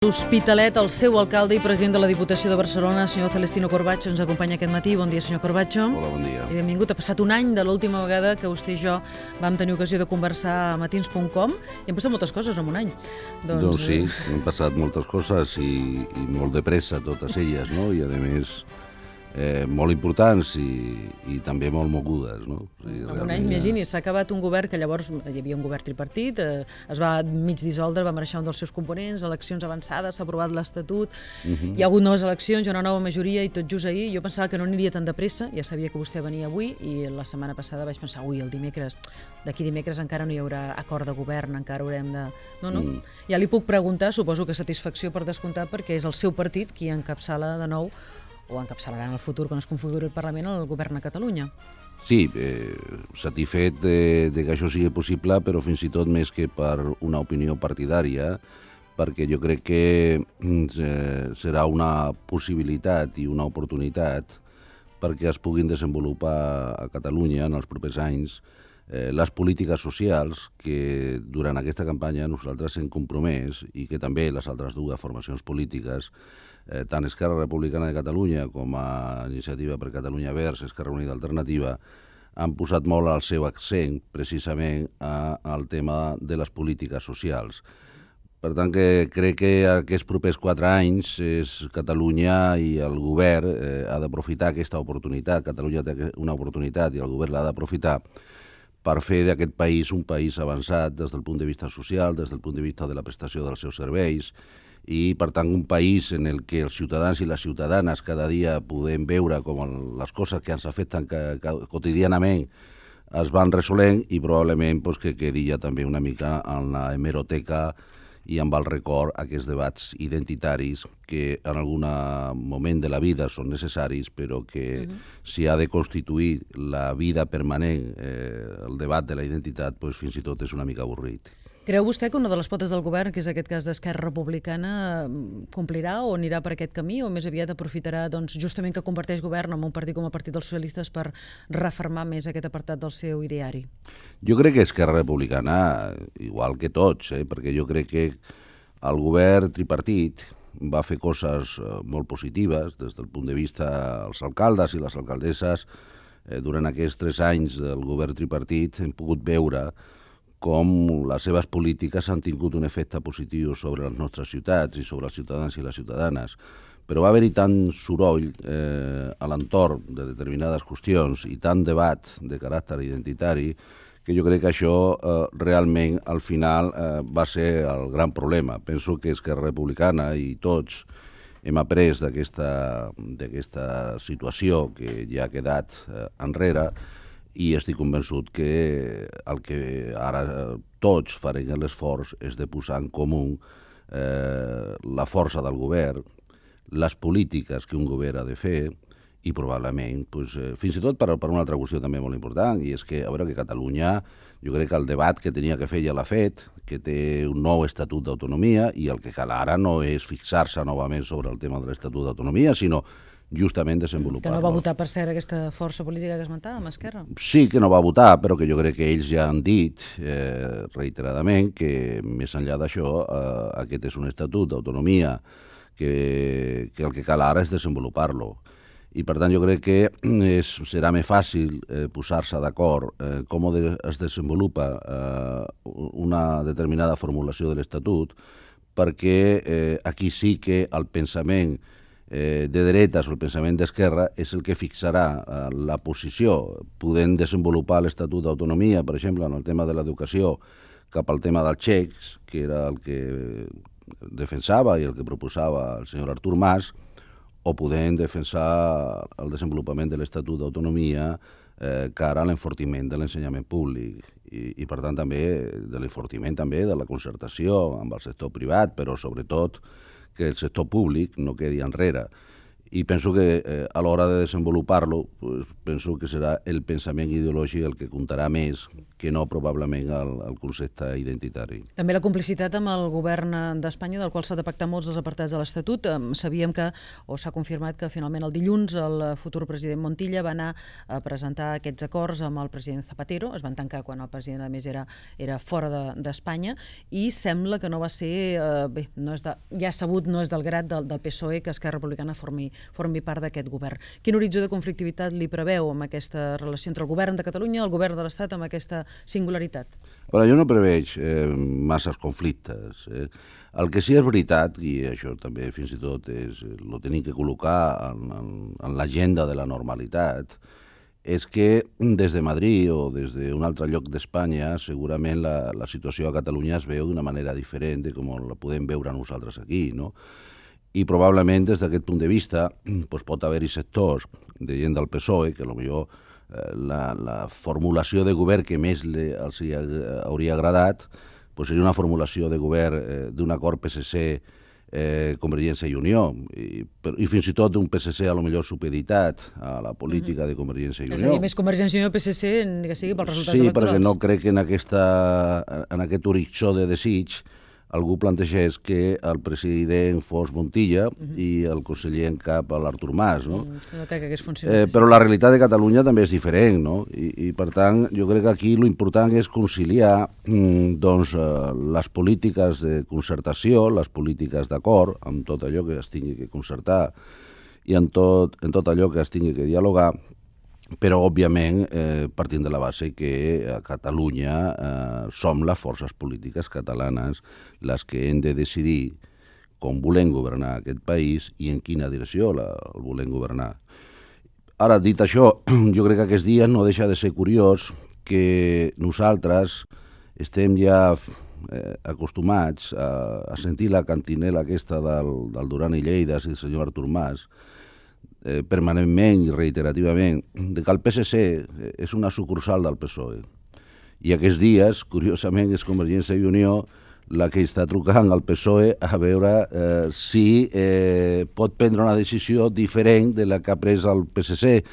L'Hospitalet, el seu alcalde i president de la Diputació de Barcelona, senyor Celestino Corbacho, ens acompanya aquest matí. Bon dia, senyor Corbacho. Hola, bon dia. I benvingut. Ha passat un any de l'última vegada que vostè i jo vam tenir ocasió de conversar a matins.com i han passat moltes coses en un any. Doncs sí, han passat moltes coses i molt de pressa totes elles, no? I a més molt importants i també molt mogudes, no? En un any, imagini, s'ha acabat un govern que llavors hi havia un govern tripartit, es va mig dissoldre, va marxar un dels seus components, eleccions avançades, s'ha aprovat l'Estatut, hi ha hagut noves eleccions, hi ha una nova majoria i tot just ahir jo pensava que no aniria tan de pressa, ja sabia que vostè venia avui i la setmana passada vaig pensar, el dimecres, d'aquí dimecres encara no hi haurà acord de govern, encara haurem de... No. Ja li puc preguntar, suposo que satisfacció per descomptar, perquè és el seu partit qui encapçala de nou o encapçalarà en el futur, quan es configuri el Parlament, el govern a Catalunya. Sí, satisfet de que això sigui possible, però fins i tot més que per una opinió partidària, perquè jo crec que serà una possibilitat i una oportunitat perquè es puguin desenvolupar a Catalunya en els propers anys les polítiques socials que durant aquesta campanya nosaltres hem compromès i que també les altres dues formacions polítiques, tant Esquerra Republicana de Catalunya com a Iniciativa per Catalunya Verds, Esquerra Unida Alternativa, han posat molt el seu accent precisament al tema de les polítiques socials. Per tant, que crec que aquests propers 4 anys Catalunya i el govern ha d'aprofitar aquesta oportunitat. Catalunya té una oportunitat i el govern l'ha d'aprofitar per fer d'aquest país un país avançat des del punt de vista social, des del punt de vista de la prestació dels seus serveis, i, per tant, un país en el que els ciutadans i les ciutadanes cada dia podem veure com les coses que ens afecten quotidianament es van resolent i probablement que quedi ja també una mica en la hemeroteca i amb el record aquests debats identitaris que en algun moment de la vida són necessaris, però que si ha de constituir la vida permanent el debat de la identitat, fins i tot és una mica avorrit. Creu vostè que una de les potes del govern, que és aquest cas d'Esquerra Republicana, complirà o anirà per aquest camí, o més aviat aprofitarà justament que converteix govern en un partit com el Partit dels Socialistes per refermar més aquest apartat del seu ideari? Jo crec que Esquerra Republicana, igual que tots, perquè jo crec que el govern tripartit va fer coses molt positives des del punt de vista dels alcaldes i les alcaldesses. Durant aquests 3 anys del govern tripartit hem pogut veure com les seves polítiques han tingut un efecte positiu sobre les nostres ciutats i sobre els ciutadans i les ciutadanes. Però va haver-hi tant soroll a l'entorn de determinades qüestions i tant debat de caràcter identitari que jo crec que això realment al final va ser el gran problema. Penso que Esquerra Republicana i tots hem après d'aquesta situació que ja ha quedat enrere i estic convençut que el que ara tots farem l'esforç és de posar en comú la força del govern, les polítiques que un govern ha de fer i probablement, fins i tot per una altra qüestió també molt important, i és que, a veure, que Catalunya, jo crec que el debat que tenia que fer ja l'ha fet, que té un nou Estatut d'Autonomia, i el que cal ara no és fixar-se novament sobre el tema de l'Estatut d'Autonomia, sinó justament desenvolupar-lo. Que no va votar, per cert, aquesta força política que esmentàvem, Esquerra? Sí que no va votar, però que jo crec que ells ja han dit reiteradament que, més enllà d'això, aquest és un estatut d'autonomia que el que cal ara és desenvolupar-lo. I, per tant, jo crec que serà més fàcil posar-se d'acord com es desenvolupa una determinada formulació de l'Estatut, perquè aquí sí que el pensament de dretes o el pensament d'esquerra és el que fixarà la posició, podent desenvolupar l'Estatut d'Autonomia, per exemple, en el tema de l'educació, cap al tema dels xecs, que era el que defensava i el que proposava el senyor Artur Mas, o podem defensar el desenvolupament de l'Estatut d'Autonomia cara a l'enfortiment de l'ensenyament públic i per tant també de l'enfortiment també de la concertació amb el sector privat, però sobretot que el sector públic no quedi enrere. i penso que a l'hora de desenvolupar-lo penso que serà el pensament ideològic el que comptarà més que no probablement el concepte identitari. També la complicitat amb el govern d'Espanya, del qual s'ha de pactar molts dels apartats de l'Estatut. Sabíem que, o s'ha confirmat que finalment el dilluns el futur president Montilla va anar a presentar aquests acords amb el president Zapatero, es van tancar quan el president a més era fora d'Espanya, i sembla que no va ser, bé, ja sabut, no és del grat del PSOE que Esquerra Republicana formi part d'aquest govern. Quin horitzó de conflictivitat li preveu amb aquesta relació entre el govern de Catalunya i el govern de l'Estat amb aquesta singularitat? Però jo no preveig masses conflictes. El que sí és veritat, i això també fins i tot ho tenim que col·locar en l'agenda de la normalitat, és que des de Madrid o des d'un altre lloc d'Espanya segurament la situació a Catalunya es veu d'una manera diferent de com la podem veure nosaltres aquí, no? I probablement des d'aquest punt de vista pot haver-hi sectors de gent del PSOE que potser la formulació de govern que més els hauria agradat seria una formulació de govern d'un acord PSC Convergència i Unió i fins i tot d'un PSC a lo millor supeditat a la política de Convergència i Unió. És a dir, més Convergència i Unió PSC ni que sigui pels resultats electorals. Sí, electorals. perquè no crec que en aquest horitzó de desig algú plantegés que el president fos Montilla i el conseller en cap l'Artur Mas, no? No crec que hagués funcionat. Però la realitat de Catalunya també és diferent, no? I per tant, jo crec que aquí l'important és conciliar les polítiques de concertació, les polítiques d'acord, amb tot allò que es tingui que concertar i en tot allò que es tingui que dialogar, però, òbviament, partint de la base que a Catalunya som les forces polítiques catalanes les que hem de decidir com volem governar aquest país i en quina direcció el volem governar. Ara, dit això, jo crec que aquests dies no deixa de ser curiós que nosaltres estem ja acostumats a sentir la cantinela aquesta del Duran i Lleida i del senyor Artur Mas permanentment i reiterativament de que el PSC és una sucursal del PSOE. I aquests dies, curiosament, és Convergència i Unió la que està trucant al PSOE a veure si pot prendre una decisió diferent de la que ha pres el PSC.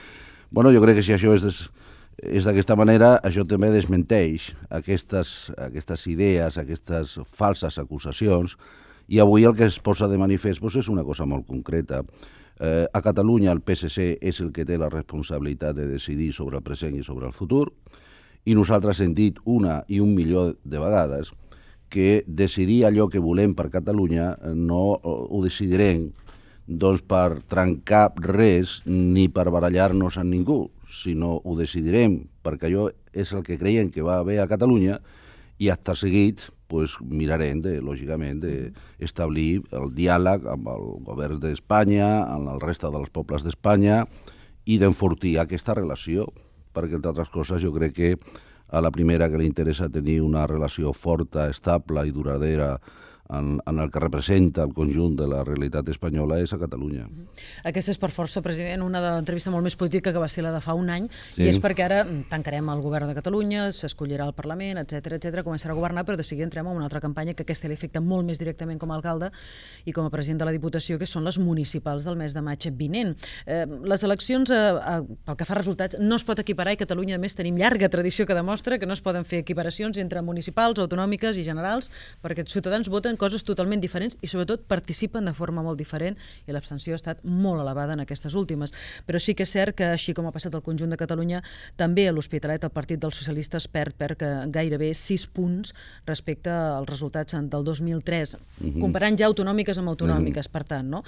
Bueno, jo crec que si això és d'aquesta manera, això també desmenteix aquestes idees, aquestes falses acusacions, i avui el que es posa de manifest és una cosa molt concreta. A Catalunya el PSC és el que té la responsabilitat de decidir sobre el present i sobre el futur, i nosaltres hem dit una i un milió de vegades que decidir allò que volem per Catalunya no ho decidirem per trencar res ni per barallar-nos amb ningú, sinó ho decidirem perquè allò és el que creiem que va bé a Catalunya i acte seguit mirarem, lògicament, d'establir el diàleg amb el govern d'Espanya, amb el resta dels pobles d'Espanya i d'enfortir aquesta relació, perquè, entre altres coses, jo crec que a la primera que li interessa tenir una relació forta, estable i duradera en el que representa el conjunt de la realitat espanyola és a Catalunya. Aquesta és per força, president, una entrevista molt més política que va ser la de fa un any, i és perquè ara tancarem el govern de Catalunya, s'escollirà el Parlament, etc, començarà a governar, però de seguida entrem en una altra campanya que aquesta li afecta molt més directament com a alcalde i com a president de la Diputació, que són les municipals del mes de maig vinent. Les eleccions, pel que fa a resultats, no es pot equiparar, i Catalunya, a més, tenim llarga tradició que demostra que no es poden fer equiparacions entre municipals, autonòmiques i generals, perquè els ciutadans voten coses totalment diferents i sobretot participen de forma molt diferent, i l'abstenció ha estat molt elevada en aquestes últimes. Però sí que és cert que, així com ha passat al conjunt de Catalunya, també a l'Hospitalet el Partit dels Socialistes perd gairebé 6 punts respecte als resultats del 2003, comparant ja autonòmiques amb autonòmiques, per tant, no?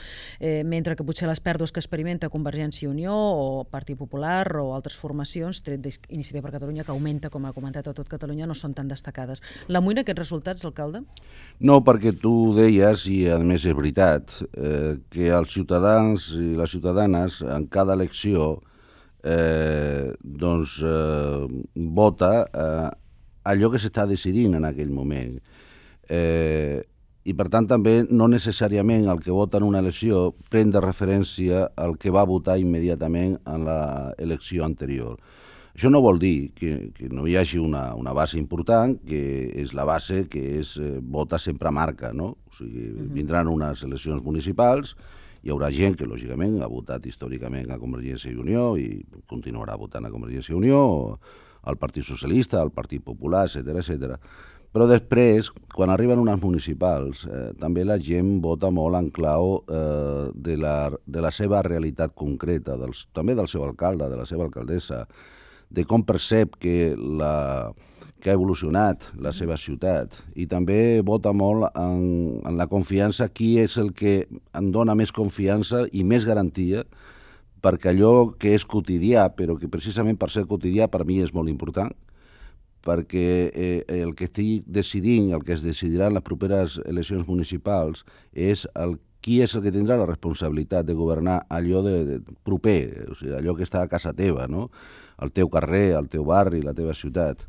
Mentre que potser les pèrdues que experimenta Convergència i Unió o Partit Popular o altres formacions, tret d'Iniciativa per Catalunya, que augmenta, com ha comentat, a tot Catalunya, no són tan destacades. L'amoïna aquests resultats, alcalde? No, perquè tu deies, i a més és veritat, que els ciutadans i les ciutadanes en cada elecció vota allò que s'està decidint en aquell moment. I per tant també no necessàriament el que vota en una elecció pren de referència al que va votar immediatament en l'elecció anterior. Això no vol dir que no hi hagi una base important, que és la base que és vota sempre marca, no? O sigui, vindran unes eleccions municipals Hi haurà gent que, lògicament, ha votat històricament a Convergència i Unió i continuarà votant a Convergència i Unió, al Partit Socialista, al Partit Popular, etc. Però després, quan arriben unes municipals, també la gent vota molt en clau de la seva realitat concreta, també del seu alcalde, de la seva alcaldessa, de com percep que ha evolucionat la seva ciutat, i també vota molt en la confiança, qui és el que em dona més confiança i més garantia, perquè allò que és quotidià, però que precisament per ser quotidià per mi és molt important, perquè el que estic decidint, el que es decidirà en les properes eleccions municipals, és qui és el que tindrà la responsabilitat de governar allò de proper, o sigui, allò que està a casa teva, no? El teu carrer, el teu barri, la teva ciutat.